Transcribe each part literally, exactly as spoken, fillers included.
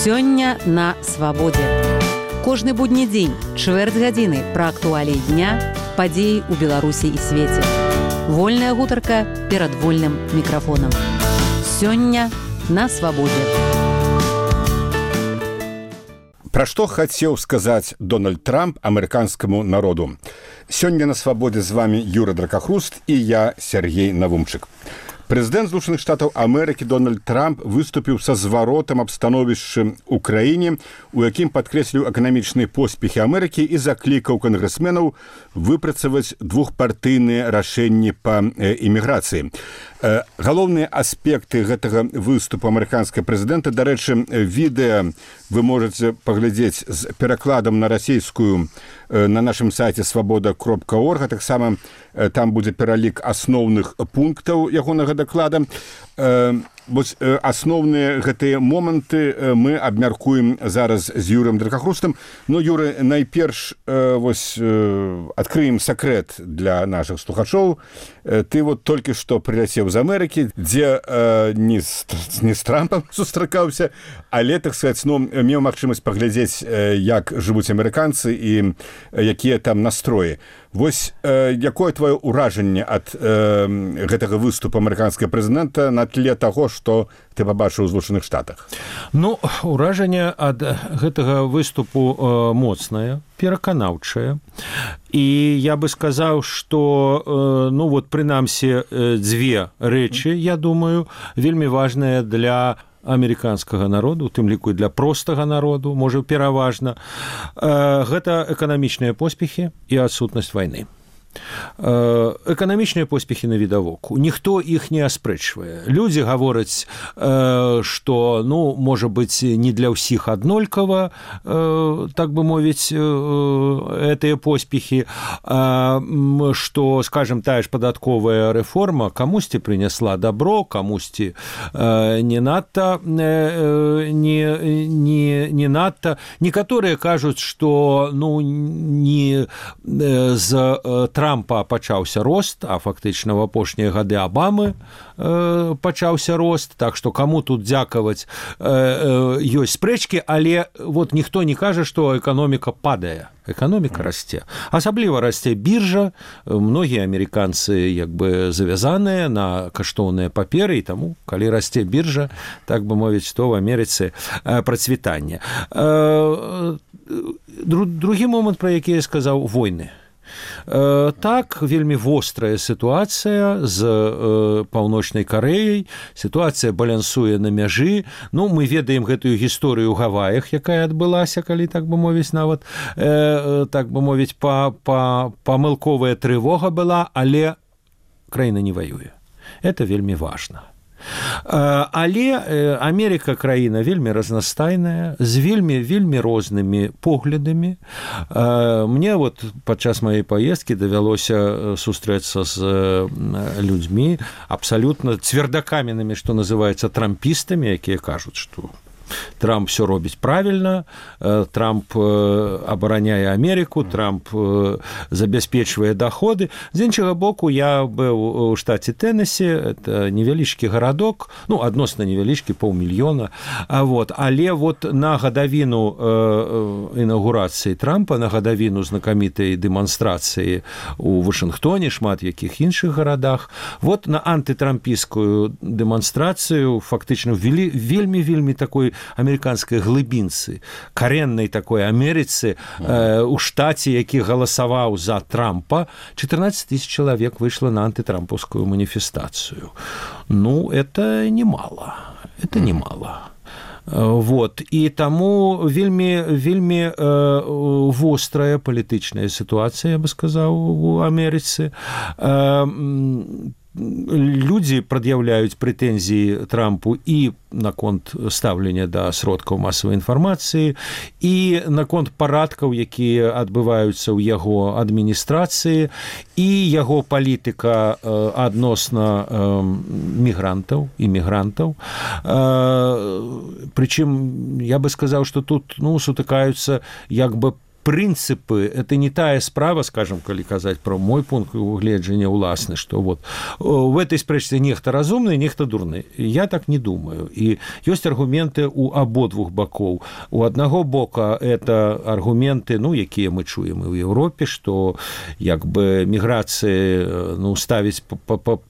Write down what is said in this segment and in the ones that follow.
Сёння на свабодзе. Кожны будні дзень, чвэрць гадзіны пра актуаліі дня, падзеі ў Беларусі і свеце. Вольная гутарка перад вольным мікрафонам. Сёння на свабодзе. Пра што хацеў сказаць Дональд Трамп амерыканскаму народу? Сёння на свабодзе з вами Юра Дракахруст і я, Сергей Навумчык. Прэзідэнт Злучаных Штатаў Амерыкі Дональд Трамп выступіў са зваротам аб становішчы ў краіне, у якім падкрэсліў эканамічныя поспехі Амерыкі і заклікаў кангрэсменаў выпрацаваць двухпартыйныя рашэнні па іміграцыі. Галоўныя аспекты гэтага выступу амерыканскага прэзідэнта, дарэчы, відэа вы можаце паглядзець з перакладам на расійскую на нашым сайце свабода кропка орг, а таксама там будзе пералік асноўных пунктаў ягонага даклада. Вось асноўныя гэтыя моманты мы абмяркуем зараз з Юрым Дракахрустам. Ну, Юры, найперш вось адкрыем сакрэт для нашых слухачоў. Ты вот толькі што прыляцеў з Амерыкі, дзе не з, не з Трампам сустракаўся, але, так сказаць, ну, меў магчымасць паглядзець, як жывуць амерыканцы і якія там настроі. Вось якое твоё ўражанне ад гэтага выступу амерыканскага прэзідэнта на тле таго, што ты пабачыў у Злучаных Штатах? Ну, ўражанне ад гэтага выступу моцнае, пераканаўчае. І я бы сказаў, што, ну, вот, прынамсі, дзве рэчы, я думаю, вельмі важныя для амерыканскага народу, у тым ліку і для простага народу, можа, пераважна. Гэта эканамічныя поспехі і адсутнасць вайны. Эканамічныя поспехі навідавоку. Ніхто іх не аспрэчвае. Людзі гавораць, што, ну, можа быць, не для ўсіх аднолькава, так бы мовіць, гэтыя поспехі, што, скажем, тая ж падатковая рэформа камусьці прынесла дабро, камусьці не надта, не, не, не надта. Некаторыя кажуць, што, ну, не з Трампа пачаўся рост, а фактычна ў апошнія гады Абамы э, пачаўся рост, так што каму тут дзякаваць э, э, ёсць спрэчкі, але вот ніхто не кажа, што эканоміка падае. Эканоміка расце. Асабліва расце біржа, многія амерыканцы як бы завязаныя на каштоўныя паперы, і таму, калі расце біржа, так бы мовіць, то в Амерыцы э, працвітанне. Э, другі момант, пра які я сказаў, войны. Так, вельмі вострая сітуацыя з Паўночнай Карэяй, сітуацыя балансуе на мяжы. Ну, мы ведаем гэтую гісторыю ў Гаваях, якая адбылася, калі, так бы мовіць, нават, так бы мовіць, памылковая трывога была, але краіна не ваюе. Это вельмі важна. Але Амерыка краіна вельмі разнастайная, з вельмі вельмі рознымі поглядамі. Мне вот падчас маёй паездкі давялося сустрэцца з людзьмі абсалютна цвердакаменнымі, што называецца трампістамі, якія кажуць, што Трамп все робіць правільна, Трамп абараняе Амерыку, Трамп забяспечвае доходы. З іншага боку, я быў у штаце Теннесі, это невялічкі гарадок, ну, адносна невялічкі, паўмільёна, вот, але вот на гадавіну інаўгурацыі Трампа, на гадавіну знакамітай дэманстрацыі у Вашынгтоне, шмат якіх іншых гарадах, вот на антытрампійскую дэманстрацыю фактычна ввели вельмі-вельмі такой амерыканскай глыбінцы, кареннай такой Амерыцы э, у штаце, які галасаваў за Трампа, чатырнаццаць тысяч чалавек выйшла на антытрампаўскую маніфестацыю. Ну, это немало. Это немало. Вот. І таму вельмі, вельмі э, вострая палітычная сітуацыя, я бы сказаў, у Амерыцы. Э, Людзі прад'яўляюць прэтэнзіі Трампу і наконт стаўлення да сродкаў масавай інфармацыі, і наконт парадкаў, якія адбываюцца ў яго адміністрацыі, і яго палітыка э, адносна э, мігрантаў, імігрантаў. Э, прычым, я бы сказаў, што тут, ну, сутыкаюцца як бы прынцыпы это не тая справа, скажем, калі казаць про мой пункт угледжання ўласны, что вот в этой спрэчцы нехта разумны, нехта дурны. Я так не думаю. І ёсць аргументы у абодвух бакоў. У аднаго бока это аргументы, ну, якія мы чуем і ў Еўропе, што як бы міграцыі, ну, ставіць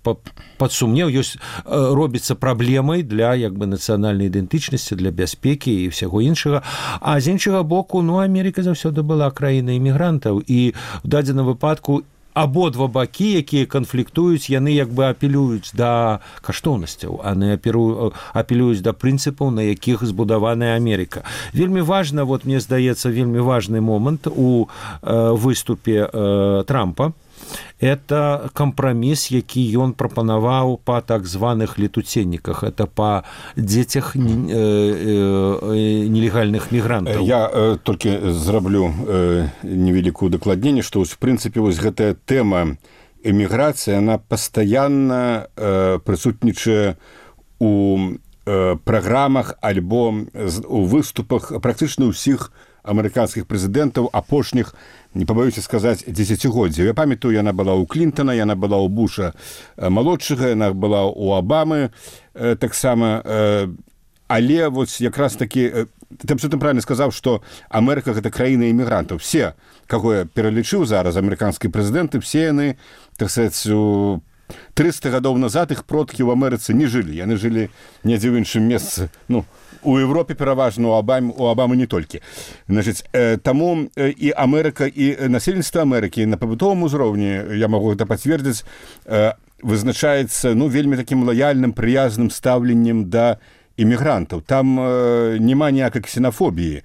пад сумнеў, ёсць робіцца праблемай для як бы нацыянальнай ідэнтычнасці, для бяспекі і ўсяго іншага. А з іншага боку, ну, Амерыка заўсёды была краінай імігрантаў, і ў дадзеным выпадку абодва бакі, якія канфліктуюць, яны як бы апелююць да каштоўнасцяў, а не апелююць да прынцыпаў, на якіх збудаваная Амерыка. Вельмі важна, вот мне здаецца, вельмі важны момант у э, выступе э, Трампа. Это кампраміс, які ён прапанаваў па так званых летуценніках, это па дзецях нелегальных мігрантаў. Я э, толькі зраблю э, невялікую дакладненне, што в прынцыпе вось гэтая тэма эміграцыі, она пастаянна э, прысутнічае у э, праграмах альбо у выступах практычна ўсіх амерыканскіх прэзідэнтаў апошніх, не пабаюся сказаць, дзесяцігоддзяў. Я памятаю, яна была ў Клінтона, яна была ў Буша малодшага, яна была ў Абамы э, таксама. Э, але вот якраз такі, ты абсолютно правильно сказаў, што Амерыка гэта краіна імігрантаў. Все, каго я пералічыў зараз, амерыканскія прэзідэнты, все яны, так сказаць, у трыста гадоў назад іх продкі ў Амерыцы не жылі. Яны жылі недзе ў іншым месцы, ну, у Европе пераважна, у Абамы, у Абамы не толькі. Значыць, э, таму э, і Амерыка, і насельніцтва Амерыкі на пабытовым узроўні, я магу гэта пацвердзіць, э, вызначаецца, ну, вельмі такім лаяльным, прыязным стаўленнем да імігрантаў. Там э, няма ніякай ксенафобіі.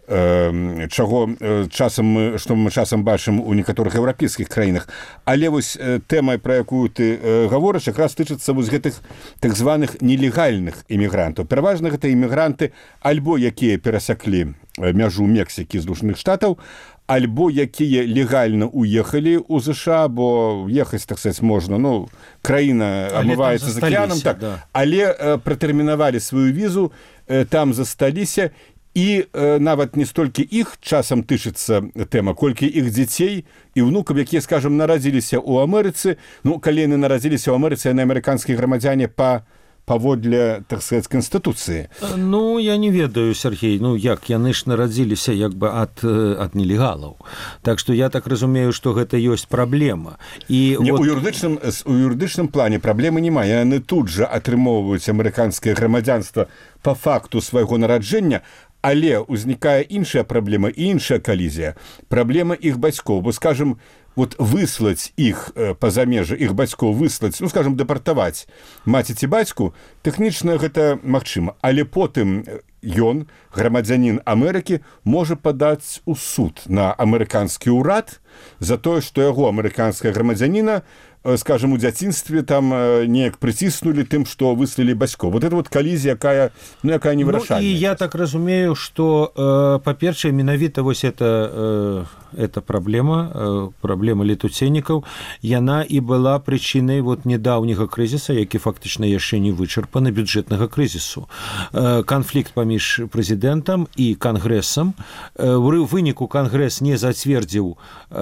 Чаго часам мы, што мы часам бачым у некаторых еўрапейскіх краінах. Але вось тэма, пра якую ты гаворыш, якраз тычыцца вось гэтых так званых нелегальных імігрантаў. Пераважна гэта імігранты альбо якія перасяклі мяжу Мексікі з Злучаных Штатаў, альбо якія легальна уехалі ў ЗША, бо ехаць, так сказаць, можна, ну, краіна амываецца з акіянам, так, да. Але э, пратэрмінавалі сваю візу, э, там засталіся. І э, нават не столькі іх часам тычыцца тэма, колькі іх дзяцей і ўнукаў, якія, скажам, нарадзіліся ў Амерыцы. Ну, калі яны нарадзіліся ў Амерыцы, яны амерыканскія грамадзяне па паводле, так сказаць, Канстытуцыі. Ну, я не ведаю, Сергей, ну, як, яны ж нарадзіліся як бы ад, ад нелегалаў. Так што я так разумею, што гэта ёсць праблема. І не, вот... у, юрыдычным, у юрыдычным плане праблемы няма. Яны тут жа атрымоўваюць амерыканскае грамадзянства па факту свайго нараджэння, але ўзнікае іншая праблема і іншая калізія. Праблема іх бацькоў. Бо, скажем, вот выслаць іх па-за межы, іх бацькоў выслаць, ну, скажем, дэпартаваць маці ці бацьку, тэхнічна гэта магчыма. Але потым ён, грамадзянін Амерыкі, можа падаць у суд на амерыканскі ўрад за тое, што яго амерыканская грамадзяніна, скажем, у дзяцінстве там неяк прыціснулі тым, што выслалі бацькоў. Вот это вот калізія, якая, ну, якая не вырашальная. Ну, і я так разумею, што, э, па-першае, менавіта вось это, э, эта праблема, э, праблема летуценнікаў, яна і была прычынай вот недаўняга крызіса, які фактычна яшчэ не вычарпаны, бюджэтнага крызісу. Э, канфлікт паміж прэзідэнтам і кангрэсам. Э, ў выніку кангрэс не зацвердзіў э,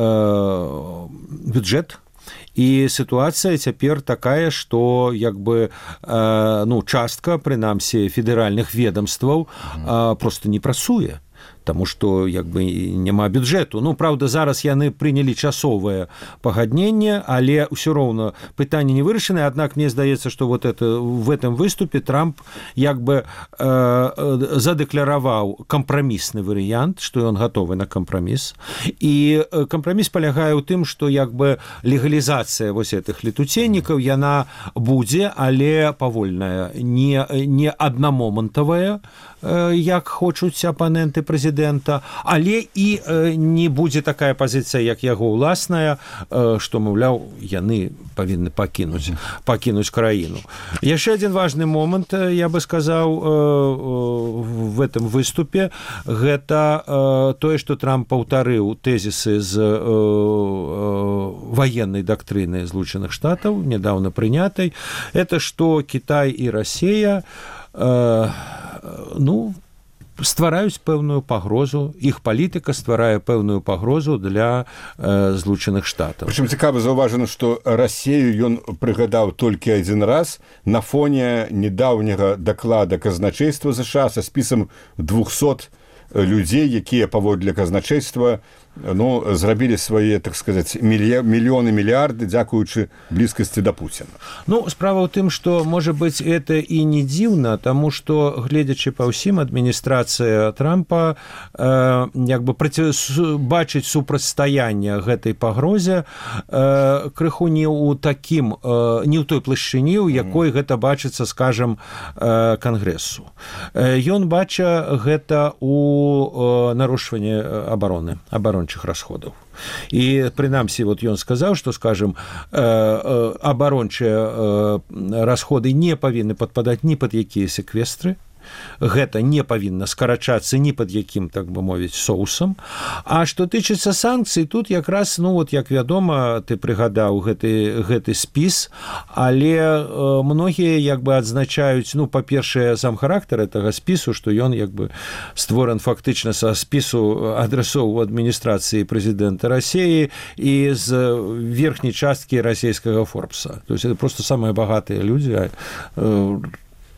бюджэт. І сітуацыя цяпер такая, што як бы э, ну, частка, прынамсі, федэральных ведомстваў э, просто не працуе. Таму што як бы няма бюджэту. Ну, праўда, зараз яны прынялі часовае пагадненне, але ўсё роўна пытанне не вырашанае. Аднак мне здаецца, што вот это, в этом выступе Трамп як бы э, задэклараваў кампрамісны варыянт, што ён гатовы на кампраміс. І кампраміс палягае ў тым, што як бы легалізацыя вось гэтых летуценнікаў, яна будзе, але павольная, не, не аднамомантавая, э, як хочуць апаненты прэзідэнта, але і э, не будзе такая пазіцыя, як яго ўласная, э, што, маўляў, яны павінны пакінуць, пакінуць краіну. Яшчэ адзін важны момант, я бы сказаў, э, в этом выступе, гэта э, тое, што Трамп паўтарыў тэзісы з э, э, ваеннай дактрыны Злучаных Штатаў, нядаўна прынятай, это што Кітай і Расія, э, ну, ствараюць пэўную пагрозу, іх палітыка стварае пэўную пагрозу для э, Злучаных Штатаў. Прычым цікава заўважана, што Расею ён прыгадаў толькі адзін раз на фоне недаўняга даклада казначейства ЗША са спісам двухсот людзей, якія паводле казначейства ну, зрабілі свае, так сказаць, мільёны, мільярды, дзякуючы блізкасці да Пуціна. Ну, справа ў тым, што, можа быць, это і не дзіўна, таму што, гледзячы па ўсім, адміністрацыя Трампа э, як бы праці... бачыць супрацьстаянне гэтай пагрозе э, крыху не ў такім, э, не ў той плашчыні, у якой mm. гэта бачыцца, скажам, э, Кангрэсу. Э, ён бача гэта ў э, нарушванні абароны, абароны расходаў. І прынамсі вот ён сказаў, што, скажем, абарончыя расходы не павінны падпадаць ні пад якія секвестры, гэта не павінна скарачацца ні пад якім, так бы мовіць, соусам. А што тычыцца санкцый, тут якраз, ну вот, як вядома, ты прыгадаў гэты, гэты спіс, але э, многія як бы адзначаюць, ну, па-першае, сам характар гэтага спісу, што ён як бы створан фактычна са спісу адрасоў у адміністрацыі прэзідэнта Расіі і з верхняй часткі расійскага Форбса. То есть это просто самыя багатыя людзі, э,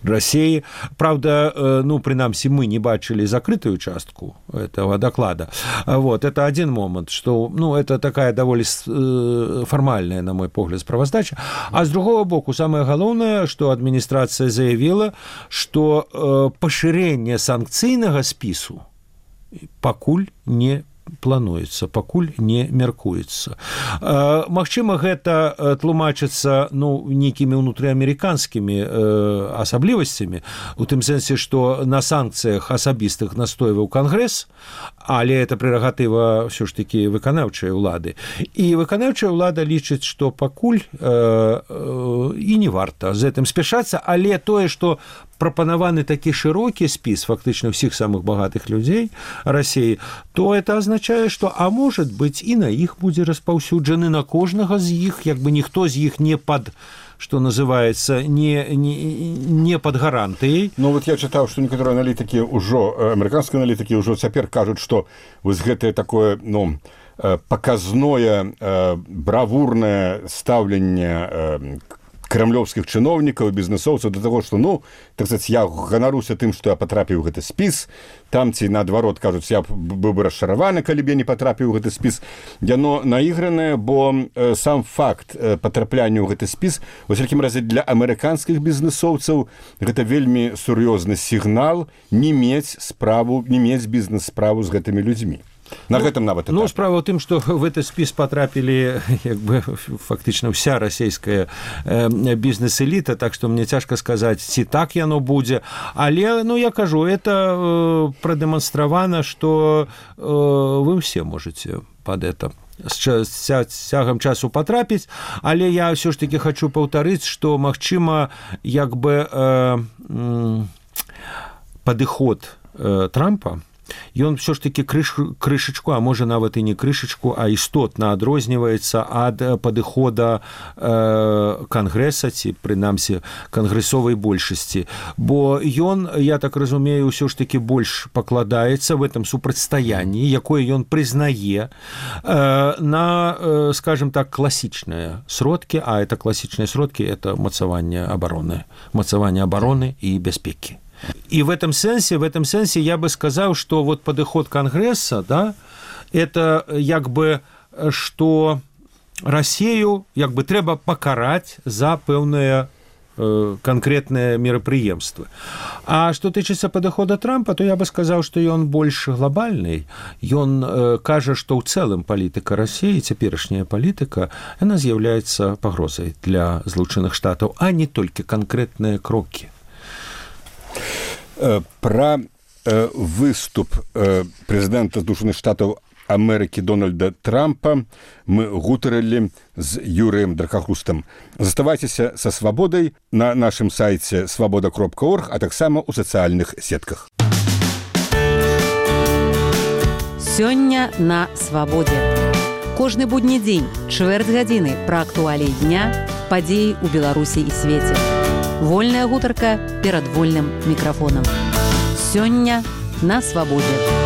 России. Правда, ну, принамсі, мы не бачили закрытую частку этого доклада. Вот, это один момент, что, ну, это такая довольно формальная, на мой погляд, справаздача. А с другого боку, самое главное, что администрация заявила, что поширение санкцыйнага спису пакуль не плануецца, пакуль не мяркуецца. Магчыма, гэта тлумачыцца, ну, нейкімі ўнутрыамерыканскімі асаблівасцямі, у тым сэнсе, што на санкцыях асабістых настойваў Кангрэс, але это прерагатыва ўсё ж такі выканаўчай улады. І выканаўчая ўлада лічыць, што пакуль э, э, і не варта з гэтым спяшацца, але тое, што прапанаваны такі шырокі спіс фактычна ўсіх самых багатых людзей Расіі, то это означае, што, а может быть, і на іх будзе распаўсюджаны, на кожнага з іх, як бы ніхто з іх не пад, что называется, не, не, не под гарантыяй. Ну вот я чытаў, што некаторыя аналітыкі ўжо, амерыканскія аналітыкі ўжо цяпер кажуць, што вось гэтае такое, ну, паказное, бравурнае стаўленне крамлёўскіх чыноўнікаў і бізнесоўцаў да таго, што, ну, так сказаць, я ганаруся тым, што я патрапіў у гэты спіс, там ці наадварот кажуць, я быў бы расчараваны, калі б я не патрапіў у гэты спіс. Яно наігранае, бо э, сам факт э, патрапляння ў гэты спіс, у всякім разе для амерыканскіх бізнесоўцаў гэта вельмі сур'ёзны сігнал не мець справу, не мець бізнес-справу з гэтымі людзьмі. На ну, гэтым нават. Ну, справа ў тым, што в гэты спіс патрапілі як бы фактычна ўся расійская э, бізнес-эліта, так што мне цяжка сказаць, ці так яно будзе. Але, ну, я кажу, это э, прадэманстравана, што э, вы ўсе можаце пад это з цягам часу патрапіць, але я ўсё ж такі хачу паўтарыць, што, магчыма, як бы э, э, падыход э, Трампа, ён все ж таки крыш, крышачку, а можа нават і не крышачку, а істотна адрозніваецца ад падыхода э, Кангрэса, ці прынамсі кангрэсовай большасці. Бо ён, я так разумею, ўсё ж таки больш пакладаецца в этом супрацьстаянні, якое ён прызнае э, на, э, скажем так, класічныя сродкі, а это класічныя сродкі, это мацаванне абароны, мацаванне абароны і бяспекі. И в этом сенсе, в этом сенсе я бы сказал, что вот подход Конгресса, да, это як бы, что Россию як бы трэба покарать за пэўныя э, конкретные мерапрыемствы. А что тычыцца подхода Трампа, то я бы сказал, что ён больш глобальный. Ён э, кажа, что ў цэлым палітыка России, цяперашняя палітыка, она з'яўляецца пагрозай для Злучаных Штатаў, а не толькі конкретныя крокі. Пра э, выступ э, прэзідэнта Злучаных Штатаў Амерыкі Дональда Трампа мы гутарылі з Юрыем Дракахрустам. Заставайцеся са свабодай на нашым сайце свабода кропка орг, а таксама ў сацыяльных сетках. Сёння на свабодзе. Кожны будні дзень, чвэрць гадзіны пра актуаліі дня, падзеі ў Беларусі і свеце. Вольная гутарка перад вольным мікрафонам. Сёння на свабодзе.